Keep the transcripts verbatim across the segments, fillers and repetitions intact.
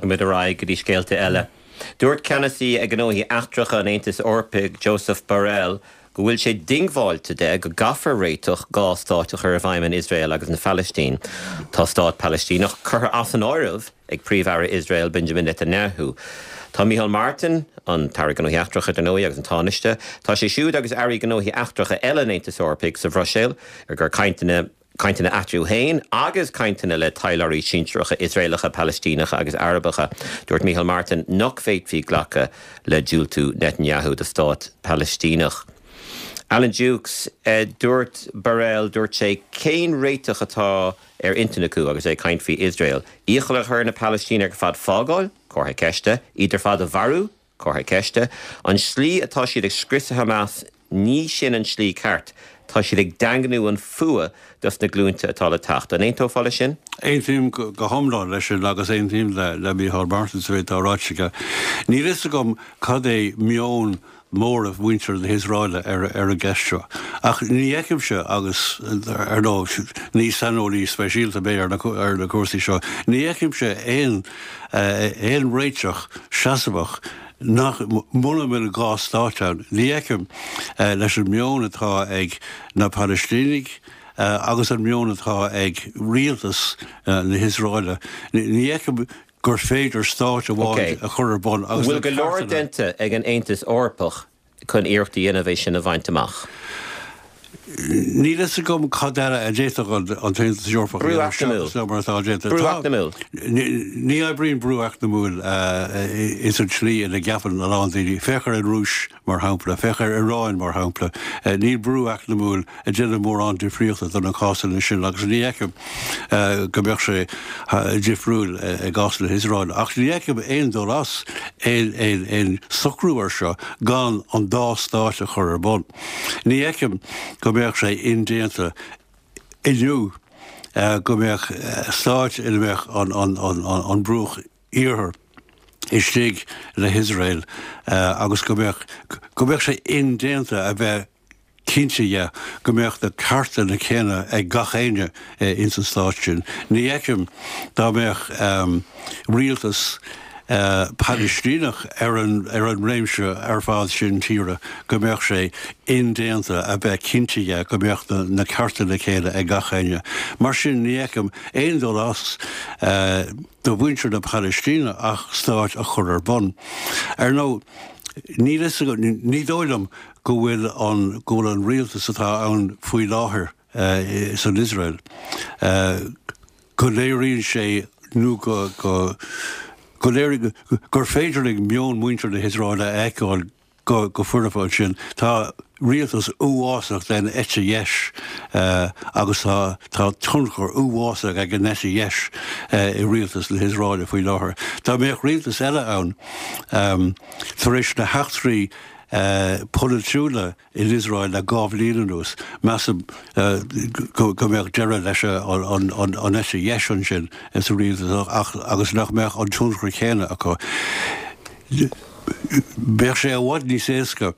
Bogfaimid ar aghaidh go dtí scéalta eile. Dúirt ceannasaí gnóthaí eachtracha an Aontais Eorpaigh Josep Borrell go bhfuil sé diongbháilte de go gcaithfear réiteach dhá stát a chur i bhfeidhm in Iosrael agus an Phalaistín. Tá stát Palaistíneach curtha as an áireamh ag Príomh-Aire Iosrael Benjamin Netanyahu. Tá Micheál Martin an tAire Gnóthaí Eachtracha dar ndóigh agus an Tánaiste, tá sé siúd agus airí gnóthaí eachtracha eile an Aontais Eorpaigh sa Bhruiséil ar gur cainteanna cainteanna eatarthu féin agus cainteanna le taidhleoirí sinsearacha Iosraelacha, Palaistíneacha agus Arabacha. Dúirt Micheál Martin nach bhféadfaí glacadh le diúltú Netanyahu do stát Palaistíneach. Alan Dukes eh, dúirt Borrell dúirt sé cén réiteach atá ar intinn acu agus é ag caint faoi Iosrael. Iachall a chur na Palaistínigh ar fad fágáil, comhartha ceiste, iad ar fad a mharú, comhartha ceiste, an slí atá siad ag scriosadh Hamas ní sin an slí ceart. Tá siad ag daingniú an fuath dos na glúnta atá le teacht. An aontófá leis sin? Aontaím go hiomlán leis sin agus aontaím le le Micheál Martin sa mhéid atá ráite aige. Níl a fhios agam cad é meon móramh mhuintir na hIosraeile ar ar an gceist seo. Ach ní fheicimse agus ar ndóigh ní saineolaí speisialta mé ar na ar na cúrsaí seo, ní fheicimse aon aon réiteach seasmhach nach muna bhfuil dhá stát ann. Ní fheicim leis an meon atá ag na Palaistínigh agus an meon atá ag rialtas na hIosraeile. Ní fheicim gur féidir stát amháin a chur ar bun agus Bhfuil go leor déanta ag an Aontas Eorpach chun iarracht a dhéanamh é sin a bhaint amach. Níl a fhios agam cad eile a d'fhéadfadh an tAontas Eorpach Brú eacnamúil. mar atá déanta. Brú eacnamúil. Ní oibríonn brú eacnamúil is an tslí ina gceapann a lán daoine. Féach ar an Rúis mar shampla, féach ar Iran mar shampla. Níl brú eacnamúil ag déanamh mórán difríochta do na cásanna sin agus ní fheicim go mbeadh sé difriúil i gcás na hIosraeile. Ach ní fheicim aon dul as aon aon socrú ar seo gan an dá stát a chur ar bun. Ní fheicim go mbeadh sé indéanta inniu go mbeadh stát ina mbeadh an an an an bruach iarthar istigh le hIosrael agus go mbeadh go mbeadh sé indéanta a bheith cinnte dhe go mbeadh na cearta na céanna ag gach éinne ins an stát sin. Ní fheicim dá mbeadh rialtas Palaistíneach ar an ar an réimse ar fad sin tíre go mbeadh sé indéanta a bheith cinnte dhe go mbeadh na na cearta na céanna ag gach éinne. Mar sin ní fheicim aon dul as do mhuintir na Palaistíne ach stát a chur ar bun. Ar ndóigh ní ní dóigh liom go bhfuil an go bhfuil an rialtas atá ann faoi láthair san Iosrael go léiríonn sé nó go go go léir gur féidir ag meon muintir na hIosraeile a fheiceáil go go foirfe ansin. Tá rialtas uafásach den eite dheis agus tá tá tionchar uafásach ag an eite dheis i rialtas na hIosraeile faoi láthair. Dá mbeadh rialtas eile ann tar éis na heachtraí polaitiúla in Iosrael le dhá bhliain anuas, measaim go go mbeadh deireadh leis an an an eite dheis ansin sa rialtas ach agus nach mbeadh an tionchar céanna acu. Bheadh sé i bhfad níos éasca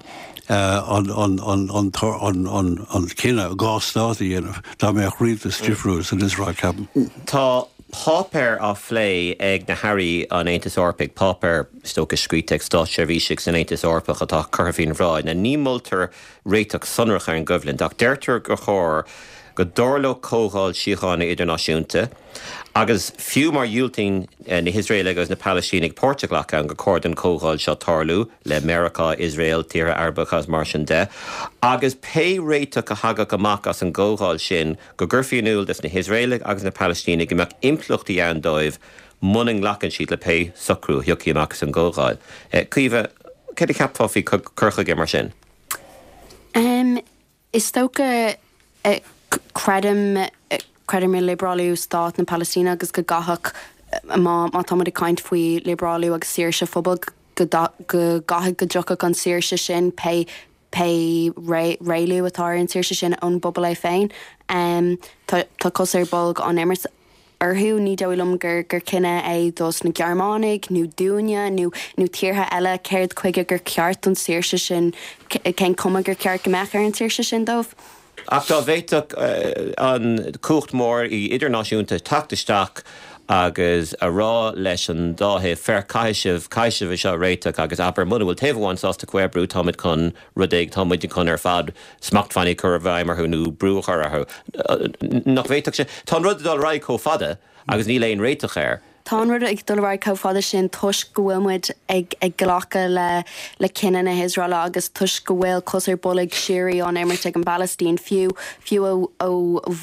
an an an an an an an cinneadh dhá stát a dhéanamh dá mbeadh rialtas difriúil san Iosrael ceapaim. Tá páipéar á phlé ag na hairí an Aontais Eorpaigh, páipéar is dócha scríte ag státseirbhísigh san Aontas Eorpach atá curtha faoina bhráid. Now ní mholtar réiteach sonrach ar an gcoimhlint, ach deirtear gur chóir go dtarlódh comhdháil síochána idirnáisiúnta agus fiú má dhiúltaíonn na hIosraelaigh agus na Palaistínigh páirt a ghlacadh ann gur chóir don chomhdháil seo tarlú le Meiriceá, Iosrael, tíortha Arabacha agus mar sin de, agus pé réiteach a thagadh amach as an gcomhdháil sin go gcuirfí in iúl dos na hIosraelaigh agus na Palaistínigh go mbeadh impleachtaí ann dóibh muna nglacann siad le pé socrú a thiocfaidh amach as an gcomhdháil. Caoimhe, céard a cheapfá faoi cur chuige mar sin? Um, is dócha uh, creidim creidim i liobrálú stát na Palaistíne agus go gcaithfeadh má má táimid ag caint faoi liobrálú agus saoirse phobal go go gcaithfidh go dtiocfadh an saoirse sin pé pé réalú atá ar an saoirse sin ón bpobal é féin. Um, tá tá cos ar bolg an imirt orthu ní dóigh liom gur gur cinneadh é dos na Gearmánaigh nó dúinne nó nó tíortha eile céard chuige gur ceart an saoirse sin cén cuma gur ceart go mbeadh ar an saoirse sin dóibh. Ach dá bhféadfadh an cumhacht mór idirnáisiúnta teacht isteach agus a rá leis an dá thaobh féach caithfidh sibh caithfidh sibh é seo a réiteach agus abair muna bhfuil taobh amháin sásta comhoibriú táimid chun rud éigin táimid chun ar fad smachtbhannaí a chur i bhfeidhm orthu nó brú a chur orthu. Nach bhféadfadh sé Tá an rud ag dul ar aghaidh chomh fada agus níl aon réiteach air. Tá an rud ag dul ar aghaidh chomh fada sin toisc go bhfuil muid ag ag glacadh le le cinneadh na hIosraeile agus toisc go bhfuil cos ar bolg síoraí á imirt ag an bPalaistín fiú fiú ó ó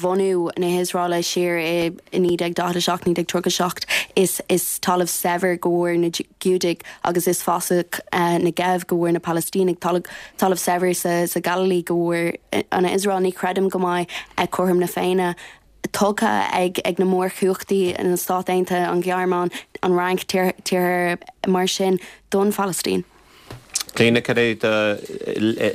bhunú na hIosraeile siar i naoi déag daichead a seacht naoi déag tríocha seacht is is talamh saibhir go bhfuair na Giúdaigh agus is fásach Negev go bhfuair na Palaistínigh talamh talamh saibhir sa sa Galilee go bhfuair an Iosrael ní chreidim go mbeidh cothrom na Féinne tugtha ag ag na mórchumhachtaí na Stáit Aontaithe, an Ghearmáin, an Fhrainc, tíortha mar sin don Phalaistín. Clíona, cad é do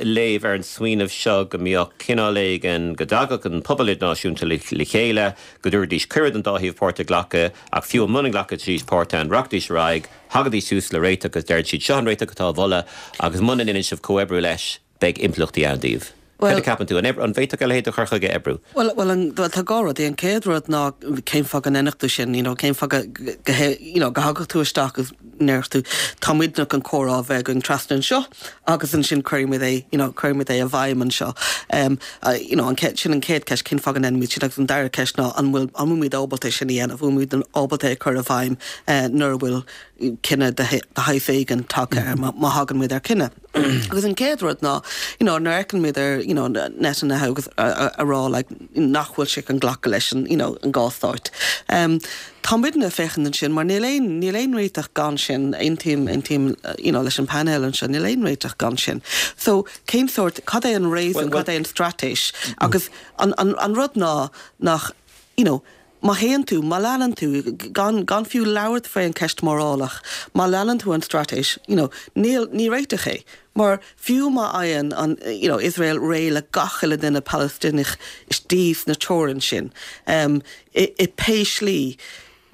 léamh ar an smaoineamh seo go mbeadh cineál éigin, go dtagadh an pobal idirnáisiúnta le chéile, go dtabharfaidís cuireadh don dá thaobh páirt a ghlacadh, ach fiú muna nglacfaidís páirt ann, rachaidís ar aghaidh, thagaidís suas le réiteach agus deireann siad seo an réiteach atá á mholadh agus muna ndéanann sibh comhoibriú leis, beidh impleachtaí ann daoibh. Cad a cheapann tú? An bhféadfadh a leithéid de chur chuige oibriú? Bhuel, bhuel, an, bhuel, tá dhá rud. An chéad rud ná cén fáth go ndéanfadh tú sin, you know, cén fáth go, go, you know, go dtagadh tú isteach agus ndéarfadh tú, tá muidne chun comhrá a bheith againn trasna anseo agus ansin cuirfidh muid é, you know, cuirfidh muid é i bhfeidhm anseo. Um, uh, you know, an chéad, sin an chéad ceist, cén fáth go ndéanfaimid sin agus an dara ceist ná an bhfuil, an bhfuil muid ábalta sin a dhéanamh, bhfuil muid ábalta é a chur i bhfeidhm uh, nuair a bhfuil cinneadh de shaghas éigin tagtha air, má, má thagann muid ar cinneadh. Agus an chéad rud ná, you know, nuair a fheiceann muid ar, you know, Netanyahu agus a, a, a rá like, nach bhfuil sé chun glacadh leis an, you know, an dhá stáit. Um, tá muidne ag féachaint ansin mar níl aon níl aon réiteach gan sin aontaím aontaím you know, leis an panel anseo níl aon réiteach gan sin. So cén sórt cad é an réasún cad é an straitéis agus an, an, an rud ná nach you know, má théann tú, má leanann tú, gan, gan fiú labhairt faoi an ceist morálach, má leanann tú an straitéis, you know, níl, ní réiteach é. Mar fiú má fhaigheann an, you know, Israel réidh le gach uile duine Palaistíneach istigh sna teorainn sin, um, i, i pé slí,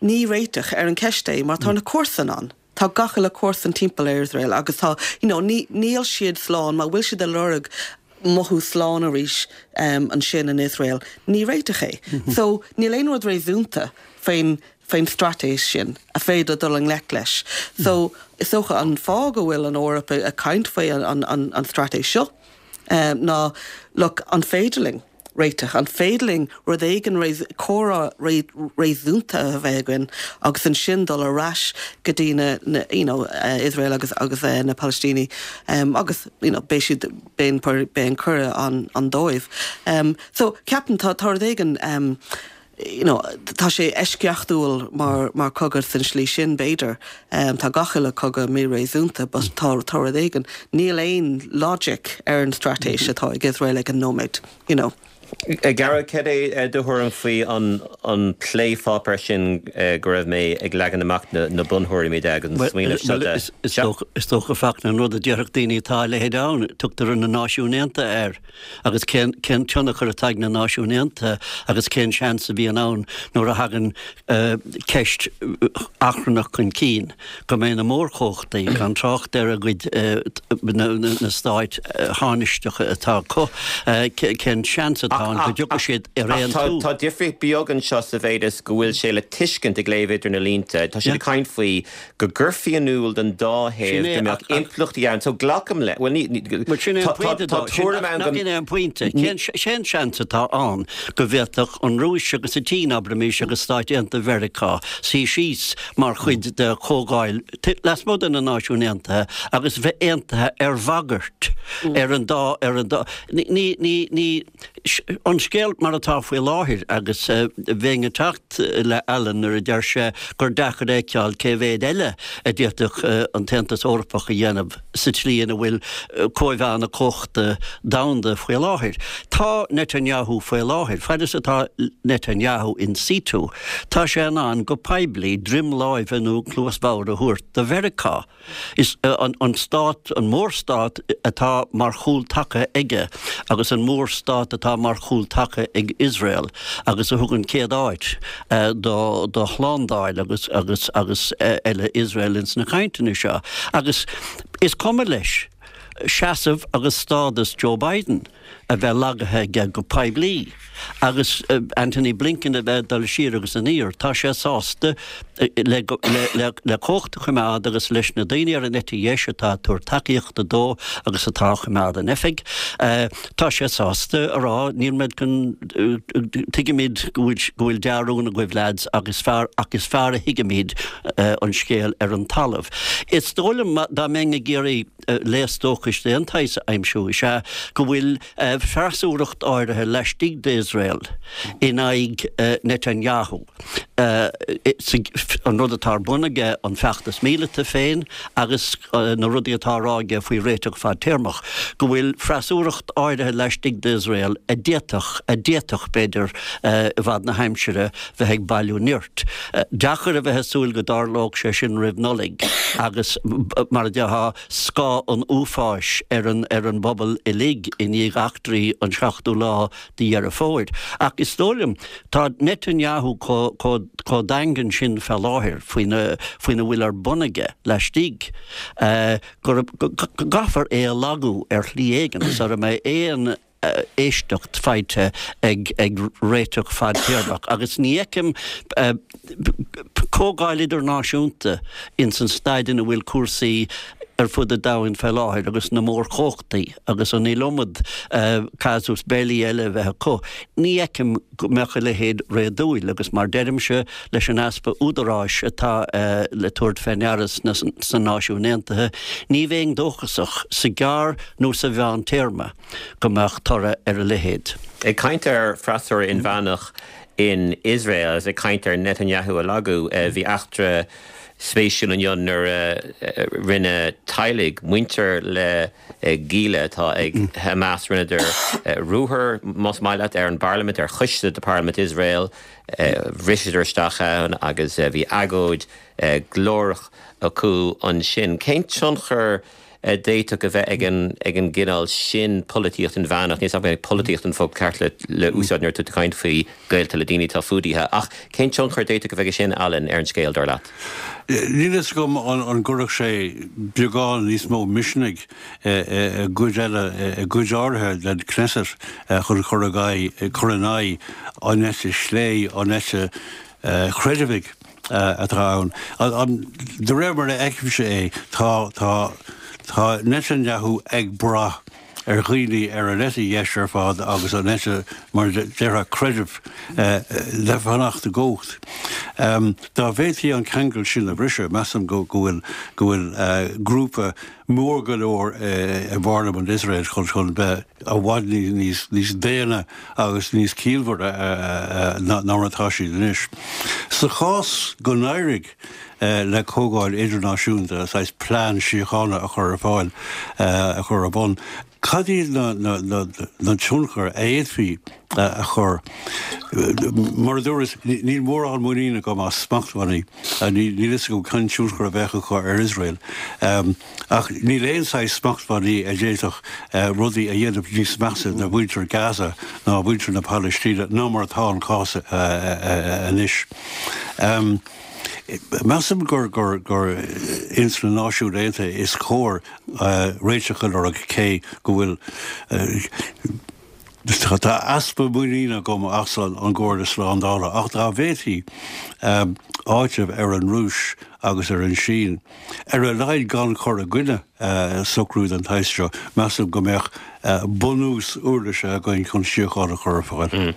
ní réiteach ar an ceist é, mar tá na comharsain ann. Tá gach uile comharsan timpeall ar Israel agus tá, you know, ní, níl siad slán, má bhfuil siad ag lorg mothú slán arís um, ansin in Israel. Ní réiteach é. Mm -hmm. So níl aon rud réasúnta faoin faoin straitéis sin a féidir dul i ngleic leis. So is dócha an fáth go bhfuil an Eoraip ag caint faoi an, an, an, an straitéis seo um, ná look, an féidir linn réiteach an féidir linn rud éigin comhrá réasúnta a bheith againn agus ansin dul ar ais go dtí na, na you know, uh, Israel agus agus uh, na Palaistínigh um, agus you know, beidh siad beidh an cuireadh ann ann dóibh. Um, so ceapaim tá tá rud éigin um, you know, tá sé eisceachtúil mar mar cogadh san slí sin b'fhéidir. Um, tá gach uile cogadh míréasúnta, but tá tá rud éigin níl aon logic ar an straitéis atá ag Israel ag an nóiméad, you know. Gearóid cad é do thuairim faoi an an plépháipéar sin go raibh mé ag leagan amach na, na buntuairimí de agus an smaoineamh seo de. Is dócha feach na rud a déarfadh daoine atá le ann tugtar na Náisiúin Aontaithe air agus cén cén tionchar atá ag na Náisiúin Aontaithe agus cén seans a bhíonn ann nuair a thagann uh, ceist achrannach chun cinn go mbeidh na mórchumhachtaí gan trácht ar a gcuid uh, na, na, na stáit uh, thánaisteacha atá acu uh, cén seans atá ann go dtiocfaidh siad ar aon Tá tá difríocht beag anseo sa mhéid is go bhfuil sé le tuiscint ag léamh idir na línte. Tá sé ag caint faoi go gcuirfí in iúl don dá thaobh go mbeadh impleachtaí ann, so glacaim le well ní sin é an pointe cén seans atá ann go bhféadfadh an Rúis agus an tSín abraimis agus Stáit Aontaithe Mheiriceá suí síos mar chuid de chomhdháil lasmuigh de na Náisiúin Aontaithe agus bheith aontaithe ar bhagairt ar an dá ar an dá ní ní ní an scéal mar atá faoi láthair agus bheinn ag teacht le Alan nuair a deir sé gur deacair a fheiceáil cé mhéad eile a d'fhéadfadh an tAontas Eorpach a dhéanamh sa tslí ina bhfuil cóimheá na cumhachta domhanda faoi láthair. Tá Netanyahu faoi láthair, fad is atá Netanyahu in situ, tá sé in ann go poiblí droim láimhe nó cluas bhodhar a thabhairt do Mheiriceá. Is an, an stát, an mórstát atá mar chúltaca aige agus an mórstát atá mar chúltaca ag Israel agus a thugann céad áit do, do shlándáil agus, agus, agus eile Israel ins na cainteanna seo. Agus is cuma leis seasamh agus stádas Joe Biden a bheith lagaithe aige go poiblí agus Antony Blinken a bheith dul siar agus aniar, tá sé sásta le le cumhacht a choimeád agus leis na daoine ar an eite dheis atá ag tabhairt tacaíochta dó agus atá á choimeád in oifig. Tá sé sásta a rá níl muid chun tuigimid go bhfuil go bhfuil dea-rún agaibh lads agus fearr ach is fearr a thuigimid an scéal ar an talamh. Is dóigh liom dá mbeinn ag iarraidh léas dóchais d'aon tsaghas a aimsiú is ea go bhfuil freasúracht áirithe laistigh d'Iosrael in aghaidh Netanyahu. An rud atá ar bun aige, an feachtas míleata féin agus na rudaí atá á rá aige faoi réiteach fadtéarmach, go bhfuil freasúracht áirithe laistigh d'Iosrael a d'fhéadfadh, a d'fhéadfadh, b'fhéidir, i bhfad na haimsire, bheith ag bailiú nirt. Deacair a bheith ag súil go dtarlódh sé sin roimh Nollaig agus, mar a déarfá, scáth an uafáis ar an ar an bpobal uilig i ndiaidh eachtraí an seachtú lá de Dheireadh Fómhair. Ach is dóigh liom, tá Netanyahu chomh daingean sin fé láthair faoina faoina bhfuil ar bun aige laistigh go gcaithfear é a lagú ar shlí éigin sara mbeidh aon éisteacht faighte ag ag réiteach fadtéarmach agus ní fheicim comhdháil idirnáisiúnta ins an staid ina bhfuil cúrsaí ar fud an domhain fé láthair agus na mórchumhachtaí agus an iliomad casus belli eile a bheith acu. Ní fheicim go mbeadh a leithéid réadúil agus mar deirimse leis an easpa údaráis atá le tabhairt fé ndeara sna Náisiúin Aontaithe, ní bheinn dóchasach sa ghearr nó sa mheántéarma go mbeadh toradh ar a leithéid. Ag caint ar freasúra inmheánach in Iosrael agus ag caint ar Netanyahu a lagú, bhí eachtra spéisiúil inniu nuair a rinne teaghlaigh, muintir le gialla atá ag Hamas, rinneadar ruathar, más maith leat, ar an bparlaimint, ar choiste de pharlaimint Iosrael, bhriseadar isteach ann agus bhí agóid ghlórach acu ansin. Cén tionchar a d'fhéadfadh a bheith ag an ag an gcineál sin polaitíocht inmheánach? Níl 's agam an é polaitíocht an focal ceart le le úsáid nuair atá tú ag caint faoi gaolta le daoine atá fuadaithe, ach cén tionchar a d'fhéadfadh a bheith aige sin, Alan, ar an scéal, dar leat? Níl fhios agam an gcuirfeadh sé beagán níos mó misnigh i gcuid eile, i gcuid áirithe den Knesset chun cur aghaidh, cur in aghaidh an eite chlé, an eite chreidmhigh atá ann. De réir mar a fheicimse é, tá, tá, tá Netanyahu ag brath ar dhaoine ar an eite dheis ar fad agus an eite, mar a déarfá, creidimh le fanacht i gcumhacht. Dá bhféadfaí an ceangal sin a bhriseadh, measaim go bhfuil, go bhfuil grúpa mór go leor i bParlaimint Iosrael chun chun bheith i bhfad níos níos daonna agus níos ciallmhaire ná mar atá siad anois. Sa chás go n-éireodh le comhdháil idirnáisiúnta saghas plean síochána a chur ar fáil, a chur ar bun, cad iad na na na na tionchair a fhéadfaí a chur? Mar a dúras, níl mórán muinín agam as smachtbhannaí. Níl fhios agam cén tionchar a bheadh acu ar Iosrael. Ach níl aon saghas smachtbhannaí a d'fhéadfadh rudaí a dhéanamh níos measa do mhuintir Gaza ná mhuintir na Palaistíne ná mar atá an cás anois. Measaim gur gur gur ins na Náisiúin Aontaithe is cóir réiteach a lorg cé go bhfuil Tá easpa muiníne agam as an gComhairle Slándála, ach dá bhféadfaí áiteamh ar an Rúis agus ar an Sín, ar a laghad gan cur i gcoinne socrú den tsaghas seo, measaim go mbeadh bunús uirlise againn chun síocháin a chur ar fáil.